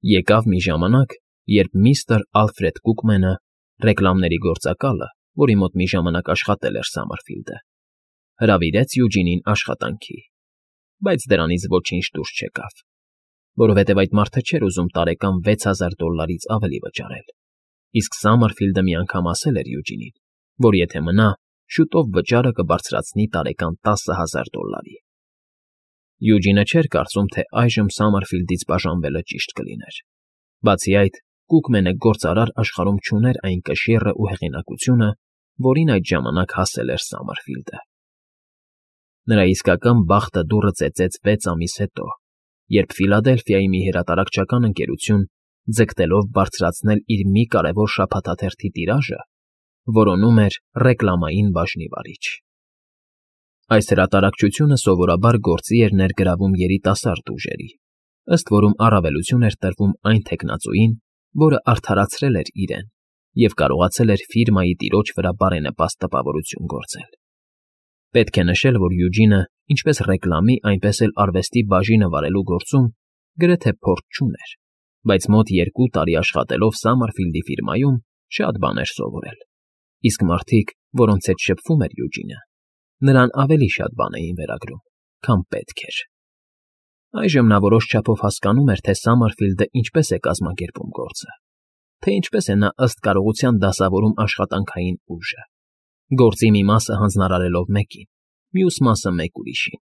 Եկավ մի ժամանակ, երբ միստր Ալֆրեդ Կուկմենը, ռեկլամների գործակալը, որի մոտ մի ժամանակ աշխատել էր Սամարֆիլդը, հրավիրեց Յուջինին աշխատանքի, բայց դրանից ոչինչ դուրս չեկավ, որովհետև այդ մարդը չէր ուզում տարեկան $6000 ավելի վճարել, իսկ Սամարֆիլդը մի անգամ ասել էր Յուջինին, որ եթե մնա, շուտով վճարը կբարձրացնի տարեկան $10000. Յուջինը չէր կարծում, թե այժմ Սամարֆիլդից բաժանվելը ճիշտ կլիներ։ Բացի այդ, Կուկմենը գործարար աշխարհում չուներ այն կշիռը ու հեղինակությունը, որին այդ ժամանակ հասել էր Սամարֆիլդը։ Նրա իսկական բախտը դուռը ծեծեց 6 ամիս հետո, երբ Ֆիլադելֆիայի մի հրատարակչական ընկերություն, ձգտելով բարձրացնել իր մի կարևոր շաբաթաթերթի տիրաժը, որոնում էր ռեկլամային բաժնի վարիչ։ Այս հրատարակչությունը սովորաբար գործի էր ներգրավում երիտասարդ ուժերի, ըստ որում առավելություն էր տրվում այն թեկնածուին, որը արդարացրել էր իրեն և կարողացել էր ֆիրմայի տիրոջ վրա բարենպաստ տպավորություն գործել։ Պետք է նշել, որ Յուջինը ինչպես ռեկլամի, այնպես էլ արվեստի բաժինը վարելու գործում գրեթե փորձ չուներ, բայց մոտ 2 տարի աշխատելով Սամարֆիլդի ֆիրմայում շատ բաներ սովորել, իսկ մարդիկ, որոնց հետ շփվում էր Յուջինը, նրան ավելի շատ բան էին վերագրում, քան պետք էր։ Այժմ նա որոշ չափով հասկանում էր, թե Սամարֆիլդը ինչպես է կազմակերպում գործը, թե ինչպես է նա ըստ կարողության դասավորում աշխատանքային ուժը, գործի մի մասը հանձնարարելով մեկին, մյուս մասը մեկ ուրիշին։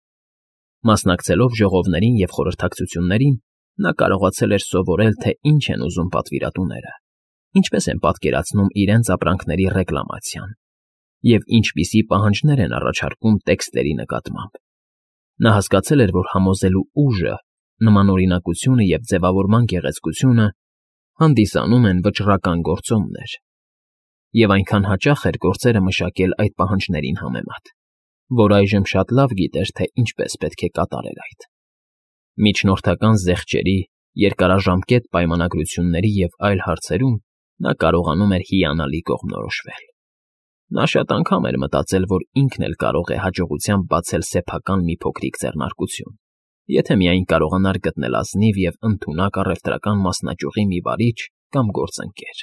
Մասնակցելով ժողովներին և խորհրդակցություններին, նա կարողացել էր սովորել, թե ինչ են ուզում պատվիրատուները, ինչպես են պատկերացնում իրենց ապրանքների ռեկլամացիան և ինչպիսի պահանջներ են առաջարկում տեքստերի նկատմամբ։ Նա հասկացել էր, որ համոզելու ուժը, նմանօրինակությունը և ձևավորման գեղեցկությունը հանդիսանում են վճռական գործոններ, և այնքան հաճախ էր գործերը մշակել այդ պահանջներին համեմատ, որ այժմ շատ լավ գիտեր, թե ինչպես պետք է կատարել այդ։ Միջնորդական զեղչերի, երկարաժամկետ պայմանագրությունների և այլ հարցերում նա կարողանում էր հիանալի կողմնորոշվել։ Նա շատ անգամ էր մտածել, որ ինքն էլ կարող է հաջողությամբ բացել սեփական մի փոքրիկ ձեռնարկություն, եթե միայն կարողանար գտնել ազնիվ և ընդունակ առևտրական մասնաճյուղի մի վարիչ կամ գործընկեր։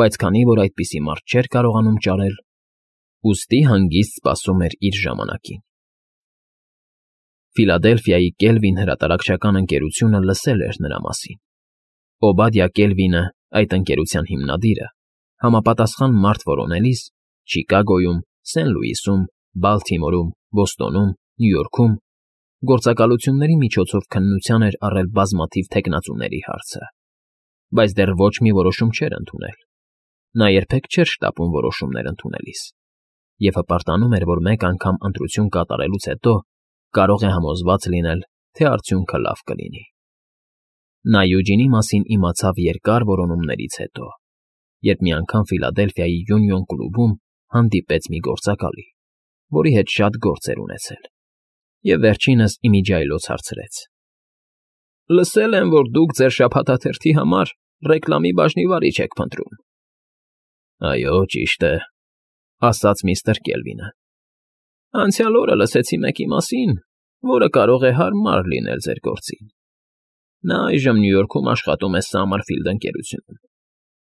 Բայց քանի որ այդպիսի մարդ չէր կարողանում ճարել, ուստի հանգիստ սպասում էր իր ժամանակին։ Ֆիլադելֆիայի Կելվին հրատարակչական ընկերությունը լսել էր նրա մասին։ Օբադիա Կելվինը, այդ ընկերության հիմնադիրը, համապատասխան մարդ որոնելիս Չիկագոյում, Սեն Լուիսում, Բալթիմորում, Բոստոնում, Նյու Յորքում գործակալությունների միջոցով քննության էր առել բազմաթիվ թեկնածուների հարցը, բայց դեռ ոչ մի որոշում չէր ընդունել։ Նա երբեք չէր շտապում որոշումներ ընդունելիս և հպարտանում էր, որ մեկ անգամ ընտրություն կատարելուց հետո կարող է համոզված լինել, թե արդյունքը լավ կլինի։ Նա Յուջինի մասին իմացավ երկար որոնումներից հետո, երբ մի անգամ Ֆիլադելֆիայի Յունիոն կլուբում հանդիպեց մի գործակալի, որի հետ շատ գործ էր ունեցել, և վերջինս իմիջիայլոց հարցրեց. «Լսել եմ, որ դուք ձեր շաբաթաթերթի համար ռեկլամի բաժնի վարիչ եք փնտրում»։ «Այո, ճիշտ է», ասաց միստր Կելվինը։ «Անցյալ օրը լսեցի մեկի մասին, որը կարող է հարմար լինել ձեր գործին։ Նա այժմ Նյու Յորքում աշխատում է Սամարֆիլդ ընկերությունում։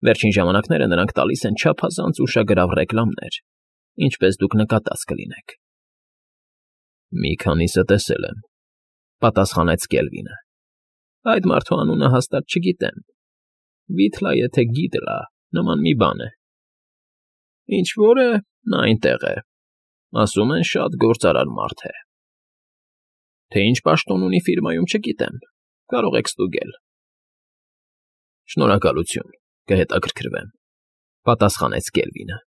Վերջին ժամանակները նրանք տալիս են չափազանց ուշագրավ ռեկլամներ, ինչպես դուք նկատած կլինեք»։ «Մի քանիսը տեսել եմ», պատասխանեց Կելվինը։ «Այդ մարդու անունը հաստատ չգիտեմ։ Վիթլա, եթե Գիդլա, նման մի բան է։ Ինչ֊որ է, նա այնտեղ է։ Ասում են, շատ գործարար մարդ է։ Թե ինչ պաշտոն ունի ֆիրմայում, չգիտեմ, կարող եք ստուգել»։ «Շնորհակալություն, կհետաքրքրվեմ», պատասխանեց Կելվինը։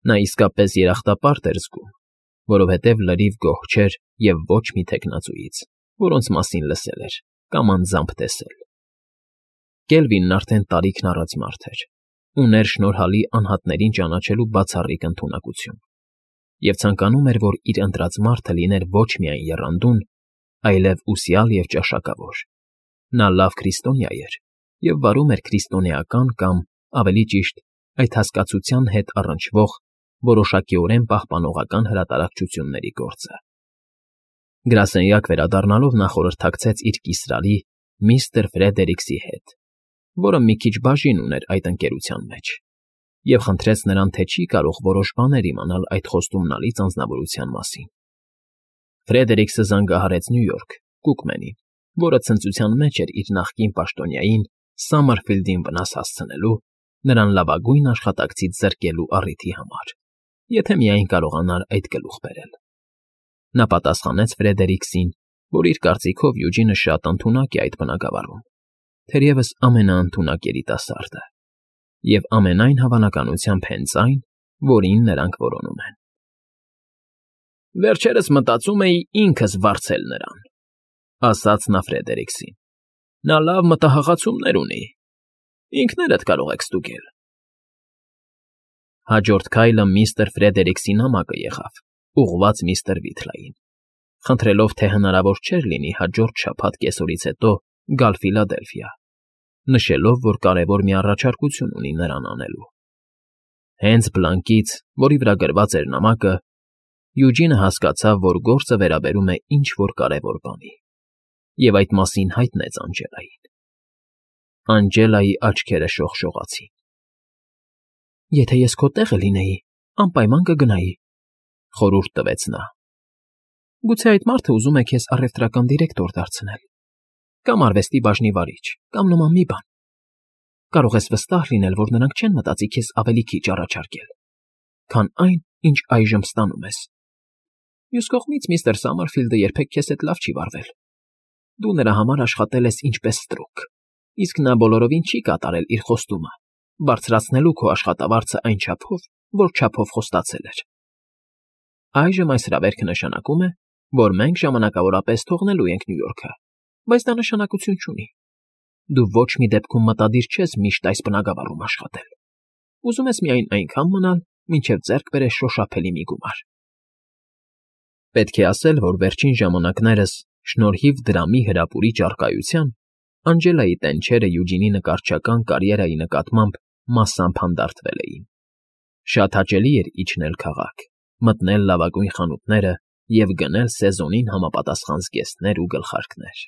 Նա իսկապես երախտապարտ էր զգում, որովհետև լրիվ գոհ չէր և ոչ մի թեկնածուից, որոնց մասին լսել էր կամ անձամբ տեսել։ Կելվինն արդեն տարիքն առած մարդ էր, ուներ շնորհալի անհատներին ճանաչելու բացառիկ ընդունակություն և ցանկանում էր, որ իր ընտրած մարդը լիներ ոչ միայն եռանդուն, այլև ուսյալ և ճաշակավոր։ Նա լավ քրիստոնյա էր և վարում էր քրիստոնեական կամ, ավելի ճիշտ, այդ հասկացության հետ առնչվող որոշակիորեն պահպանողական հրատարակչությունների գործը։ Գրասենյակ վերադառնալով նա խորհրդակցեց իր կիսրարի միստր Ֆրեդերիքսի հետ, որը մի քիչ բաժին ուներ այդ ընկերության մեջ, և խնդրեց նրան, թե չի կարող որոշ բաներ իմանալ այդ խոստումնալից անձնավորության մասին։ Ֆրեդերիքսը զանգահարեց Նյու Յորք Կուկմենին, որը ցնծության մեջ էր իր նախկին պաշտոնյային Սամմերֆիլդին վնաս հասցնելու, նրան լավագույն աշխատակցից զրկելու առիթի համար, եթե միայն կարողանար այդ գլուխ բերել։ Նա պատասխանեց Ֆրեդերիքսին, որ իր կարծիքով Յուջինը շատ ընդունակ է այդ բնագավառում, թերևս ամենաընդունակ երիտասարդը, և ամենայն հավանականությամբ հենց այն, որին նրանք որոնում են։ Վերջերս մտածում էի ինքս վարձել նրան, ասաց նա Ֆրեդերիքսին։ Նա լավ մտահղացումներ ունի։ Ինքներդ կարող եք ստուգել։ Հաջորդ քայլը միստր Ֆրեդերիքսի նամակը եղավ, ուղղված միստր Վիթլային, խնդրելով, թե հնարավոր չէր լինի հաջորդ շաբաթ կեսօրից հետո գալ Ֆիլադելֆիա, նշելով, որ կարևոր մի առաջարկություն ունի նրան անելու։ Հենց բլանկից, որի վրա գրված էր նամակը, Յուջինը հասկացավ, որ գործը վերաբերում է ինչ-որ կարևոր բանի, և այդ մասին հայտնեց Անջելային։ Անջելայի աչքերը շողշողացին։ Եթե ես քո տեղը լինեի, անպայման կգնայի, խորհուրդ տվեց նա։ Գուցե այդ մարդը ուզում է քեզ առևտրական դիրեկտոր դարձնել, կամ արվեստի բաժնի վարիչ, կամ նման մի բան։ Կարող ես վստահ լինել, որ նրանք չեն մտածի քեզ ավելի քիչ առաջարկել, քան այն, ինչ այժմ ստանում ես։ Մյուս կողմից միստր Սամմերֆիլդը երբեք քեզ հետ լավ չի վարվել։ Դու նրա համար աշխատել ես ինչպես ստրուկ, իսկ նա բոլորովին չի կատարել իր խոստումը, բարձրացնելու քո աշխատավարձը այն չափով, որ չափով խոստացել էր։ Այժմ այս հրավերքը նշանակում է, որ մենք ժամանակավորապես թողնելու ենք Նյու Յորքը, բայց դա նշանակություն չունի։ Դու ոչ մի դեպքում մտադիր չես միշտ այս բնագավառում աշխատել։ Ուզում ես միայն այնքան մնալ, մինչև ձեռք բերես շոշափելի մի գումար։ Պետք է ասել, որ վերջին ժամանակներս, շնորհիվ դրամի հրապուրիչ առկայության, Անջելայի տենչերը Յուջինի նկարչական կարիերայի նկատմամբ մասամբ հանդարտվել էին։ Շատ հաճելի էր իջնել քաղաք, մտնել լավագույն խանութները և գնել սեզոնին համապատասխան զգեստներ ու գլխարկներ։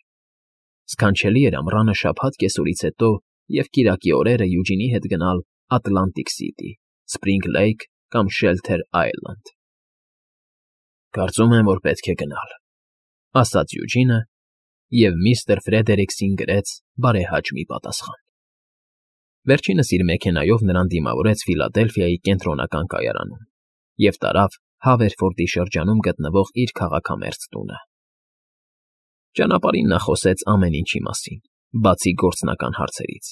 Սքանչելի էր ամռանը շաբաթ կեսօրից հետո և կիրակի օրերը Յուջինի հետ գնալ Ատլանտիկ Սիթի, Սփրինգ Լեյք կամ Շելթեր Այլենդ։ Կարծում եմ, որ պետք է գնալ, ասաց Յուջինը, և միստր Ֆրեդերիքսին գրեց բարեհաճ մի պատասխան։ Վերջինս իր մեքենայով նրան դիմավորեց Ֆիլադելֆիայի կենտրոնական կայարանում և տարավ Հավերֆորդի շրջանում գտնվող իր քաղաքամերձ տունը։ Ճանապարհին նա խոսեց ամեն ինչի մասին, բացի գործնական հարցերից։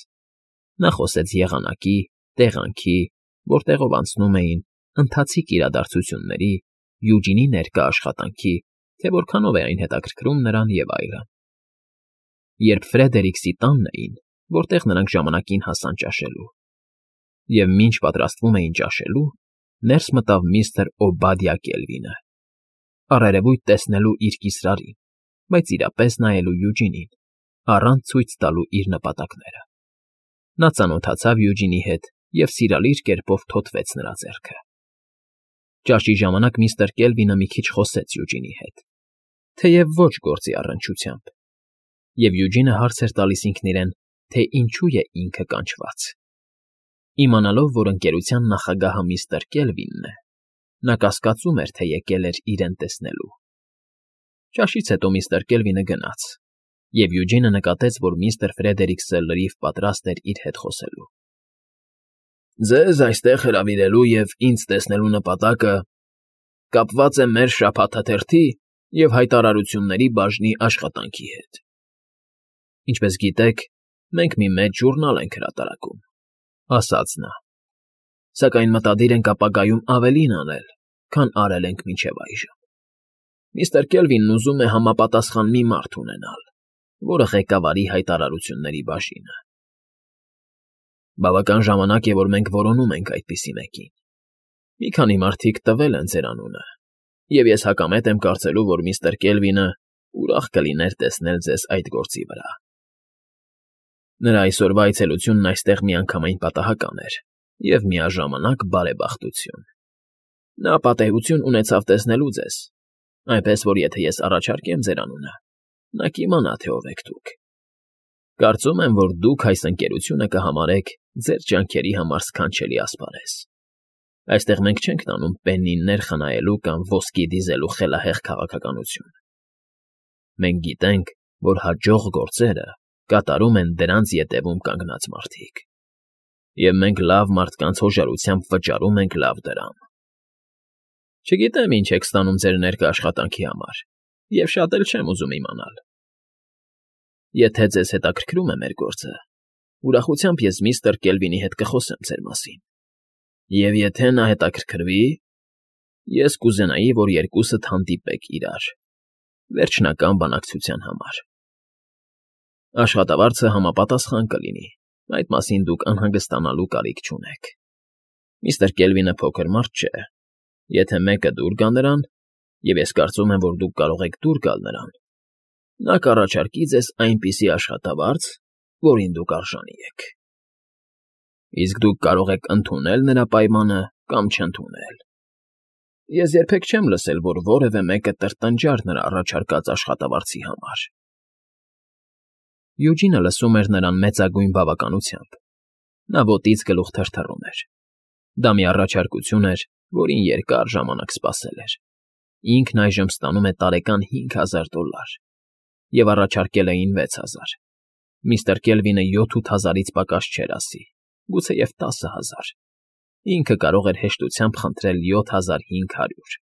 Նա խոսեց եղանակի, տեղանքի, որտեղով անցնում էին, ընթացիկ իրադարձությունների, Յուջինի ներկա աշխատանքի, թե որքանով է այն հետաքրքրում նրան և այլն։ Երբ Ֆրեդերիքսի տանն էին, որտեղ նրանք ժամանակին հասան ճաշելու, և մինչ պատրաստվում էին ճաշելու, ներս մտավ միստր Օբադիա Կելվինը, առերևույթ տեսնելու իր կիսրարին, բայց իրապես նայելու Յուջինին, առանց ցույց տալու իր նպատակները։ Նա ծանոթացավ Յուջինի հետ և սիրալիր կերպով թոթվեց նրա ձեռքը։ Ճաշի ժամանակ միստր Կելվինը մի քիչ խոսեց Յուջինի հետ, թեև ոչ գործի առնչությամբ, և Յուջինը հարց էր տալիս ինքն իրեն, թե ինչու է ինքը կանչված։ Իմանալով, որ ընկերության նախագահը միստր Կելվինն է, նա կասկածում էր, թե եկել էր իրեն տեսնելու։ Ճաշից հետո միստր Կելվինը գնաց, և Յուջինը նկատեց, որ միստր Ֆրեդերիքսը լրիվ պատրաստ էր իր հետ խոսելու։ Ձեզ այստեղ հրավիրելու և ինձ տեսնելու նպատակը կապված է մեր շաբաթաթերթի և հայտարարությունների բաժնի աշխատանքի հետ։ Ինչպես գիտեք, մենք մի մեծ ժուրնալ ենք հրատարակում, ասաց նա, սակայն մտադիր ենք ապագայում ավելին անել, քան արել ենք մինչև այժմ։ Միստր Կելվինն ուզում է համապատասխան մի մարդ ունենալ, որը ղեկավարի հայտարարությունների բաժինը։ Բավական ժամանակ է, որ մենք որոնում ենք այդպիսի մեկին։ Մի քանի մարդիկ տվել են ձեր անունը, և ես հակամետ եմ կարծելու, որ միստր Կելվինը ուրախ կլիներ տեսնել ձեզ այդ գործի վրա։ Նրա այսօրվա այցելությունն այստեղ միանգամայն պատահական էր և միաժամանակ բարեբախտություն։ Նա պատեհություն ունեցավ տեսնելու ձեզ, այնպես որ եթե ես առաջարկեմ ձեր անունը, նա կիմանա, թե ով եք դուք։ Կարծում եմ, որ դուք այս ընկերությունը կհամարեք ձեր ջանքերի համար սքանչելի ասպարեզ։ Այստեղ մենք չենք տանում պեննիներ խնայելու կամ ոսկի դիզելու խելահեղ քաղաքականություն։ Մենք գիտենք, որ հաջող գործերը կատարում են դրանց ետևում կանգնած մարդիկ։ Եվ մենք լավ մարդկանց հոժարությամբ վճարում ենք լավ դրամ։ Չգիտեմ ինչ եք ստանում ձեր ներկա աշխատանքի համար, և շատ էլ չեմ ուզում իմանալ։ Եթե ձեզ հետաքրքրում է մեր գործը, ուրախությամբ ես միստր Կելվինի հետ կխոսեմ ձեր մասին։ Եվ եթե նա հետաքրքրվի, ես կուզենայի, որ երկուսդ հանդիպեք իրար վերջնական բանակցության համար։ Աշխատավարձը համապատասխան կլինի, այդ մասին դուք անհանգստանալու կարիք չունեք։ Միստր Կելվինը փոքր մարդ չէ։ Եթե մեկը դուր գա նրան, և ես կարծում եմ, որ դուք կարող եք դուր գալ նրան, նա կառաջարկի ձեզ այնպիսի աշխատավարձ, որին դուք արժանի եք։ Իսկ դուք կարող եք ընդունել նրա պայմանը կամ չընդունել։ Ես երբեք չեմ լսել, որ որևէ մեկը տրտնջար նրա առաջարկած աշխատավարձի համար։ Յուջինը լսում էր նրան մեծագույն բավականությամբ։ Նա ոտից գլուխ թրթռում էր։ Դա մի առաջարկություն էր, որին երկար ժամանակ սպասել էր։ Ինքն այժմ ստանում է տարեկան $5,000 և առաջարկել էին 6,000։ Միստր Կելվինը 7-8,000-ից պակաս չէր ասի, գուցեև 10,000։ Ինքը կարող էր հեշտությամբ խնդրել 7,500։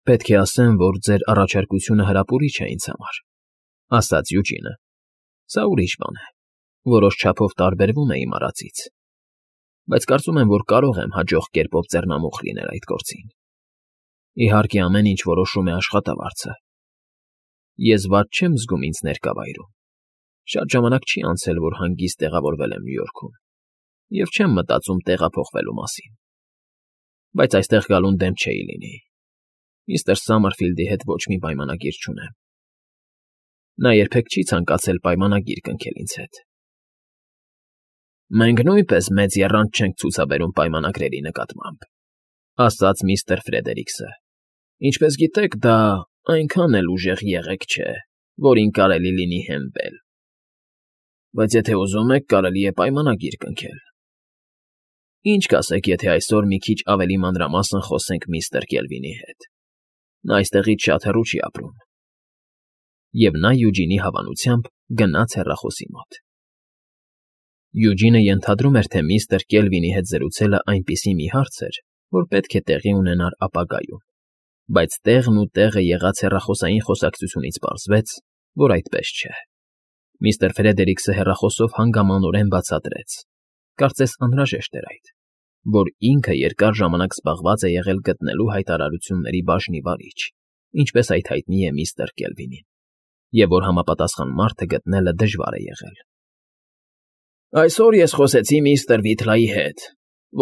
Պետք է ասեմ, որ ձեր առաջարկությունը հրապուրիչ է ինձ համար, ասաց Յուջինը։ Սա ուրիշ բան է, որոշ չափով տարբերվում է իմ արածից, բայց կարծում եմ, որ կարող եմ հաջող կերպով ձեռնամուխ լինել այդ գործին։ Իհարկե, ամեն ինչ որոշում է աշխատավարձը։ Ես վատ չեմ զգում ինձ ներկա վայրում։ Շատ ժամանակ չի անցել, որ հանգիստ տեղավորվել եմ Նյու Յորքում, և չեմ մտածում տեղափոխվելու մասին։ Բայց այստեղ գալուն դեմ չէի լինի։ Միստր Սամարֆիլդի հետ ոչ մի պայմանագիր չունեմ։ Նա երբեք չի ցանկացել պայմանագիր կնքել ինձ հետ։ Մենք նույնպես մեծ եռանդ չենք ցուցաբերում պայմանագրերի նկատմամբ, ասաց միստր Ֆրեդերիքսը։ Ինչպես գիտեք, դա այնքան էլ ուժեղ եղեք չէ, որին կարելի լինի հենվել։ Բայց եթե ուզում եք, կարելի է պայմանագիր կնքել։ Ինչ կասեք, եթե այսօր մի քիչ ավելի մանրամասն խոսենք միստր Կելվինի հետ։ Նա այստեղից շատ հեռու չի ապրում։ Եվ նա Յուջինի հավանությամբ գնաց հեռախոսի մոտ։ Յուջինը ենթադրում էր, թե միստր Կելվինի հետ զրուցելը այնպիսի մի հարց էր, որ պետք է տեղի ունենար ապագայում, բայց տեղն ու տեղը եղած հեռախոսային խոսակցությունից պարզվեց, որ այդպես չէ։ Միստր Ֆրեդերիքսը հեռախոսով հանգամանորեն բացատրեց, կարծես անհրաժեշտ էր այդ, որ ինքը երկար ժամանակ զբաղված է եղել գտնելու հայտարարությունների բաժնի վարիչ, ինչպես այդ հայտնի է միստր Կելվինին, և որ համապատասխան մարդը գտնելը դժվար է եղել։ Այսօր ես խոսեցի միստր Վիթլայի հետ,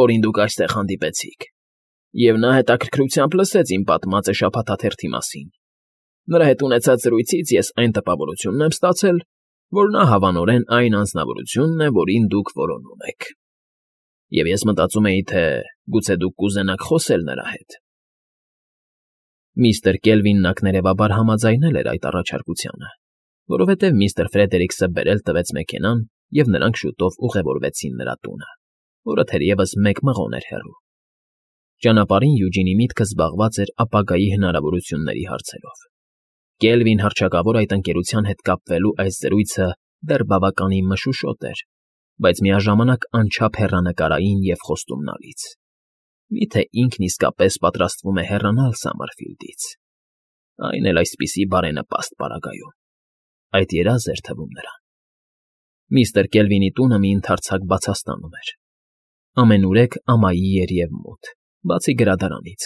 որին դուք այստեղ հանդիպեցիք, և նա հետաքրքրությամբ լսեց իմ պատմածը շաբաթաթերթի մասին։ Նրա հետ ունեցած զրույցից ես այն տպավորությունն եմ ստացել, որ նա հավանորեն այն անձնավորությունն է, որին դուք որոնում եք։ Եվ ես մտածում էի, թե գուցե դուք կուզենաք խոսել նրա հետ։ Միստր Կելվինն ակներևաբար համաձայնել էր այդ առաջարկությանը, որովհետև միստր Ֆրեդերիքսը բերել տվեց մեքենան, և նրանք շուտով ուղևորվեցին նրա տունը, որը թերևս մեկ մղոն էր հեռու։ Ճանապարհին Յուջինի միտքը զբաղված էր ապագայի հնարավորությունների հարցերով։ Կելվին հռչակավոր այդ ընկերության հետ կապվելու այս զրույցը դեռ բավականին մշուշոտ էր, բայց միաժամանակ անչափ հեռանկարային և խոստումնալից։ Միթե ինքն իսկապես պատրաստվում է հեռանալ Սամարֆիլդից, այն էլ այսպիսի բարենպաստ պարագայում։ Այդ երազ էր թվում նրան։ Միստր Կելվինի տունը մի ընդարձակ բացաստանում էր։ Ամենուրեք ամայի էր և մութ, բացի գրադարանից,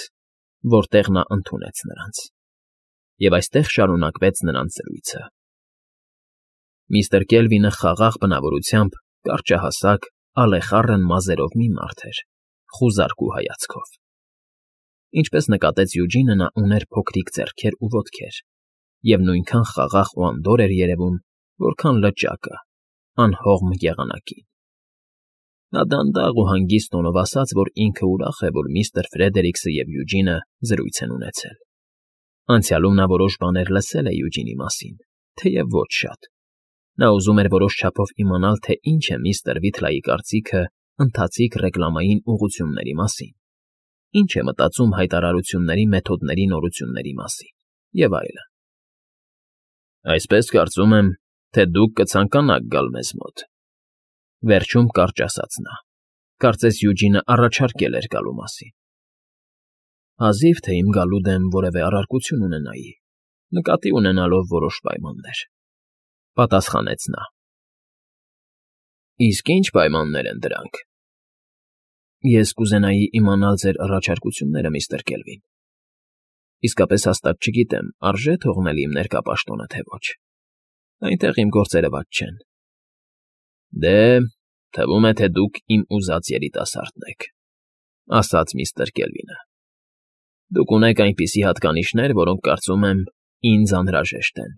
որտեղ նա ընդունեց նրանց։ Եվ այստեղ շարունակվեց նրանց զրույցը։ Միստր Կելվինը խաղաղ բնավորությամբ կարճահասակ, ալեխառն մազերով մի մարդ էր, խուզարկու հայացքով։ Ինչպես նկատեց Յուջինը, նա ուներ փոքրիկ ձեռքեր ու ոտքեր, և նույնքան խաղաղ ու անդորր էր երևում, որքան լճակը, անհողմ եղանակին։ Նա դանդաղ ու հանգիստ տոնով ասաց, որ ինքը ուրախ է, որ միստր Ֆրեդերիքսը և Յուջինը զրույց են ունեցել։ Անցյալում նա որոշ բաներ լսել է Յուջինի մասին, թեև ոչ շատ։ Նա ուզում էր որոշ չափով իմանալ, թե ինչ է միստր Վիթլայի կարծիքը ընթացիկ ռեկլամային ուղղությունների մասին, ինչ է մտածում հայտարարությունների մեթոդների նորությունների մասին և այլն։ Այսպես կարծում եմ, թե դուք կցանկանաք գալ մեզ մոտ,֊ վերջում կարճ ասաց նա, կարծես Յուջինը առաջարկել էր գալու մասին։ Հազիվ թե իմ գալու դեմ որևէ առարկություն ունենայի, նկատի ունենալով որոշ պայմաններ,֊ պատասխանեց նա։ Իսկ ի՞նչ պայմաններ են դրանք։ Ես կուզենայի իմանալ ձեր առաջարկությունները, միստր Կելվին։ Իսկապես հաստատ չգիտեմ, արժե՞ թողնել իմ ներկա պաշտոնը, թե ոչ։ Այնտեղ իմ գործերը վատ չեն։ Դե, թվում է, թե դուք իմ ուզած երիտասարդն եք,֊ ասաց միստր Կելվինը։ Դուք ունեք այնպիսի հատկանիշներ, որոնք, կարծում եմ, ինձ անհրաժեշտ են։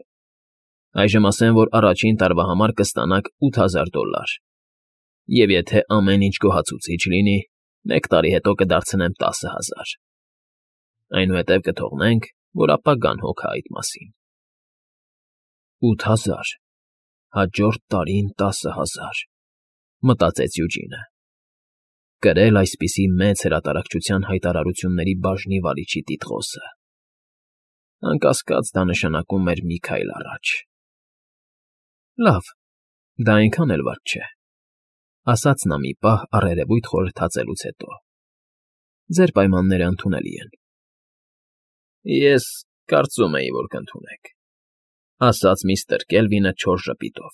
Այժմ ասեմ, որ առաջին տարվա համար կստանաք $8000, և եթե ամեն ինչ գոհացուցիչ լինի, 1 տարի հետո կդարձնեմ 10000։ Այնուհետև կթողնենք, որ ապագան հոգա այդ մասին։ 8000, հաջորդ տարին 10000, մտածեց Յուջինը։ Կրել այսպիսի մեծ հրատարակչության հայտարարությունների բաժնի վարիչի տիտղոսը։ Անկասկած, դա նշանակում էր մի քայլ առաջ։ Լավ, դա այնքան էլ վատ չէ,֊ ասաց նա մի պահ առերևույթ խորհրդածելուց հետո։ Ձեր պայմանները ընդունելի են։ Ես կարծում էի, որ կընդունեք,֊ ասաց միստր Կելվինը չոր ժպիտով։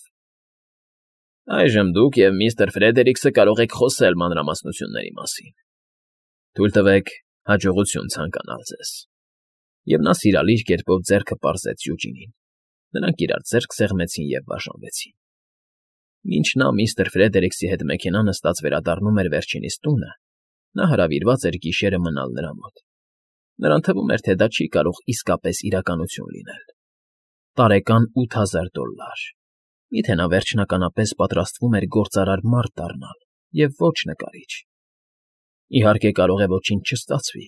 Այժմ դուք և միստր Ֆրեդերիքսը կարող եք խոսել մանրամասնությունների մասին։ Թույլ տվեք հաջողություն ցանկանալ ձեզ։ Եվ նա սիրալիր կերպով ձեռքը պարզեց Յուջինին։ Նրանք իրար ձեռք սեղմեցին և բաժանվեցին։ Մինչ նա միստր Ֆրեդերիքսի հետ մեքենա նստած վերադառնում էր վերջինիս տունը, նա հրավիրված էր գիշերը մնալ նրա մոտ։ Նրան թվում էր, թե դա չի կարող իսկապես իրականություն լինել։ Տարեկան $8000։ Միթե նա վերջնականապես պատրաստվում էր գործարար մարդ դառնալ և ոչ նկարիչ։ Իհարկե, կարող է ոչինչ չստացվի,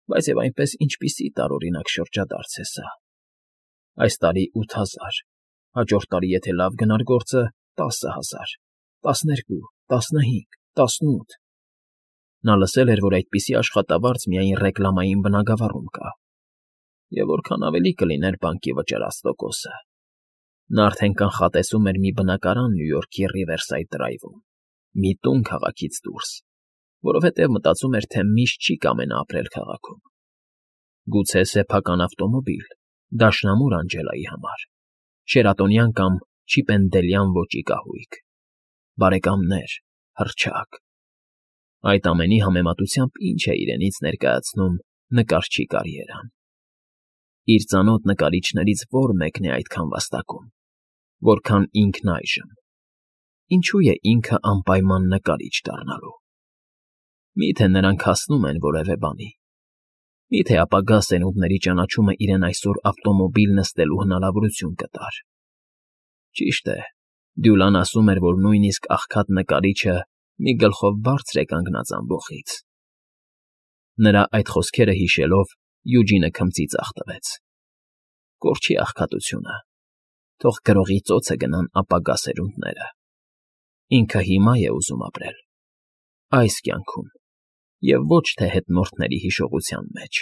բայց և այնպես ինչպիսի տարօրինակ շրջադարձ է սա։ Այս տարի 8000, հաջորդ տարի, եթե լավ գնար գործը, 10000, 12, 15, 18… Նա լսել էր, որ այդպիսի աշխատավարձ միայն ռեկլամային բնագավառում կա, և որքան ավելի կլիներ բանկի վճարած տոկոսը։ Նա արդեն կանխատեսում էր մի բնակարան Նյու Յորքի Ռիվերսայդ Դրայվում, մի տուն քաղաքից դուրս, որովհետև մտածում էր, թե միշտ չի կամենա ապրել քաղաքում։ Գուցե սեփական ավտոմոբիլ, դաշնամուր Անջելայի համար, շերատոնյան կամ չիպենդելյան ոճի կահույք, բարեկամներ, հռչակ… Այդ ամենի համեմատությամբ ինչ է իրենից ներկայացնում նկարչի կարիերան։ Իր ծանոթ նկարիչներից ո՞ր մեկն է այդքան վաստակում, որքան ինքն այժմ։ Ինչու է ինքը անպայման նկարիչ դառնալու։ Մի՞թե նրանք հասնում են որևէ բանի։ Մի՞թե ապագա սերունդների ճանաչումը իրեն այսօր ավտոմոբիլ նստելու հնարավորություն կտար։ Ճիշտ է, Դյուլան ասում էր, որ նույնիսկ աղքատ նկարիչը մի գլխով բարձր է կանգնած ամբոխից։ Նրա այդ խոսքերը հիշելով՝ Յուջինը քմծի ձախ տվեց։ Կորչի աղքատությունը, թող գրողի ծոցը գնան ապագա սերունդները։ Ինքը հիմա է ուզում ապրել, այս կյանքում, և ոչ թե հետնորդների հիշողության մեջ։